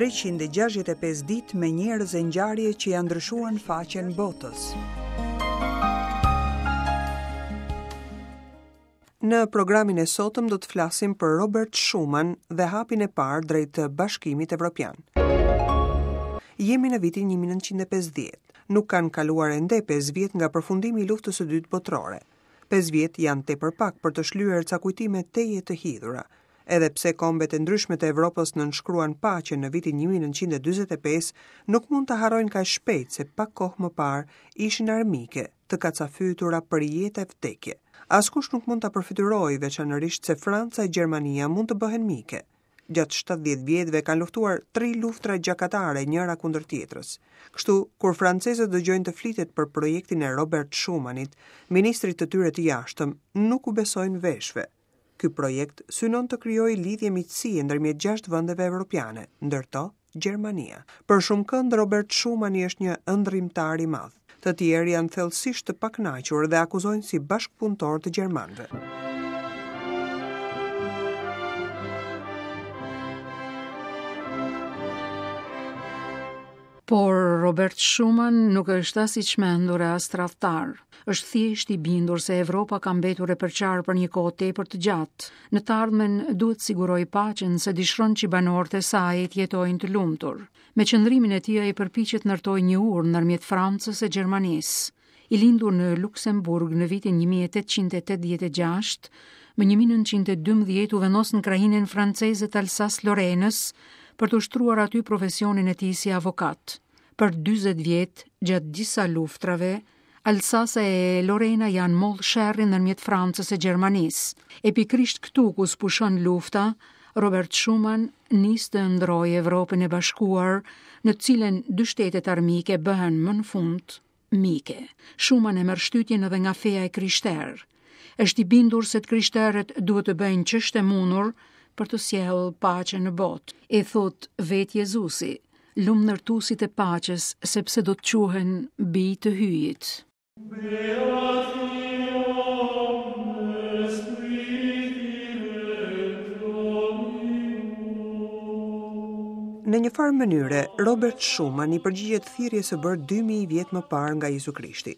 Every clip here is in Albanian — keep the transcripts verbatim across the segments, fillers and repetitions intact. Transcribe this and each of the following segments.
treqind e gjashtëdhjetë e pesë ditë me njerëz e ngjarje që janë ndryshuar në faqen botës. Në programin e sotëm do të flasim për Robert Schuman dhe hapin e parë drejt Bashkimit Evropian. Jemi në vitin një mijë e nëntëqind e pesëdhjetë. Nuk kanë kaluar ende pesë vjet nga përfundimi i luftës së dytë botërore. Pesë vjet janë tepër pak për të shlyer ca kujtime teje të hidhura. Edhe pse kombet e ndryshme të Evropës nënshkruan paqen në vitin një mijë e nëntëqind e dyzet e pesë, nuk mund ta harrojnë kaq shpejt se pak kohë më parë ishin armike, të kacafytura për jetë e vdekje. Askush nuk mund ta përfytyrojë, veçanërisht se Franca e Gjermania mund të bëhen mike. Gjatë shtatëdhjetë vjetëve kanë luftuar tri luftra gjakatare njëra kundër tjetrës. Kështu, kur francezët dëgjojnë të flitet për projektin e Robert Schumanit, ministrit të tyre të jashtëm, nuk u besojnë veshve. Ky projekt synon të krijojë lidhje miqësie ndërmjet gjashtë vendeve evropiane, ndër to Gjermania. Për shumë kënd Robert Schumani është një ëndrrimtar i madh. Të tjerë janë thellësisht të pakënaqur dhe akuzojnë si bashkëpunëtor të gjermanëve. Por Robert Schuman nuk është as i çmendur e as tradhtar. Është thjesht i bindur se Evropa ka mbetur e përçarë për një kohë tepër të gjatë. Në të ardhmen duhet siguroj paqen se dëshiron që banorët e saj të jetojnë të lumtur. Me qëndrimin e tij ai përpiqet ndërtojë një urë ndërmjet Francës e Gjermanisë. I lindur në Luksemburg në vitin një mijë e tetëqind e tetëdhjetë e gjashtë, më një mijë e nëntëqind e dymbëdhjetë u vendos në krahinën franceze të Alsace-Lorraine-s për të ushtruar aty profesionin e tij si avokat. Për dyzet vjet, gjatë disa luftrave, Alsace e Lorena janë mollë sherrin ndërmjet Francës e Gjermanisë. E pikërisht këtu ku spushon lufta, Robert Schuman nis të ndrojë Evropën e Bashkuar, në të cilën dy shtetet armike bëhen më në fund mike. Schuman e merr shtytjen edhe nga feja e krishterë. Është i bindur se të krishterët duhet të bëjnë ç'është e mundur për të sjellë paqe në botë. E thot vetë Jezusi, lum ndërtuesit e paqes, sepse do të quhen bij të hyjit. Në një farë mënyre, Robert Schuman i përgjigjet thirrjes së bërë dy mijë vjet më parë nga Jezu Krishti.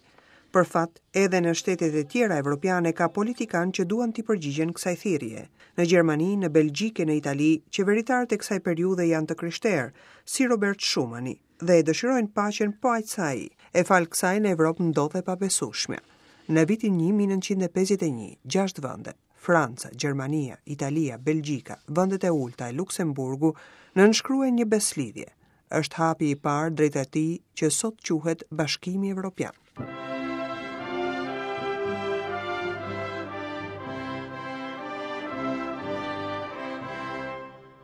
Për fat, edhe në shtetet e tjera evropiane ka politikanë që duan t'i përgjigjen kësaj thirrje. Në Gjermani, në Belgjikë e në Itali, qeveritarët e kësaj periudhe janë të krishterë, si Robert Schumani, dhe e dëshirojnë paqen po aq sa ai. E fal kësaj në Evropë ndodh e pabesueshme. Në vitin një mijë e nëntëqind e pesëdhjetë e një, gjashtë vende, Franca, Gjermania, Italia, Belgjika, vendet e ulta e Luksemburgu, nënshkruajnë një beslidhje. Është hapi i parë drejt atij që sot quhet Bashkimi Evropian.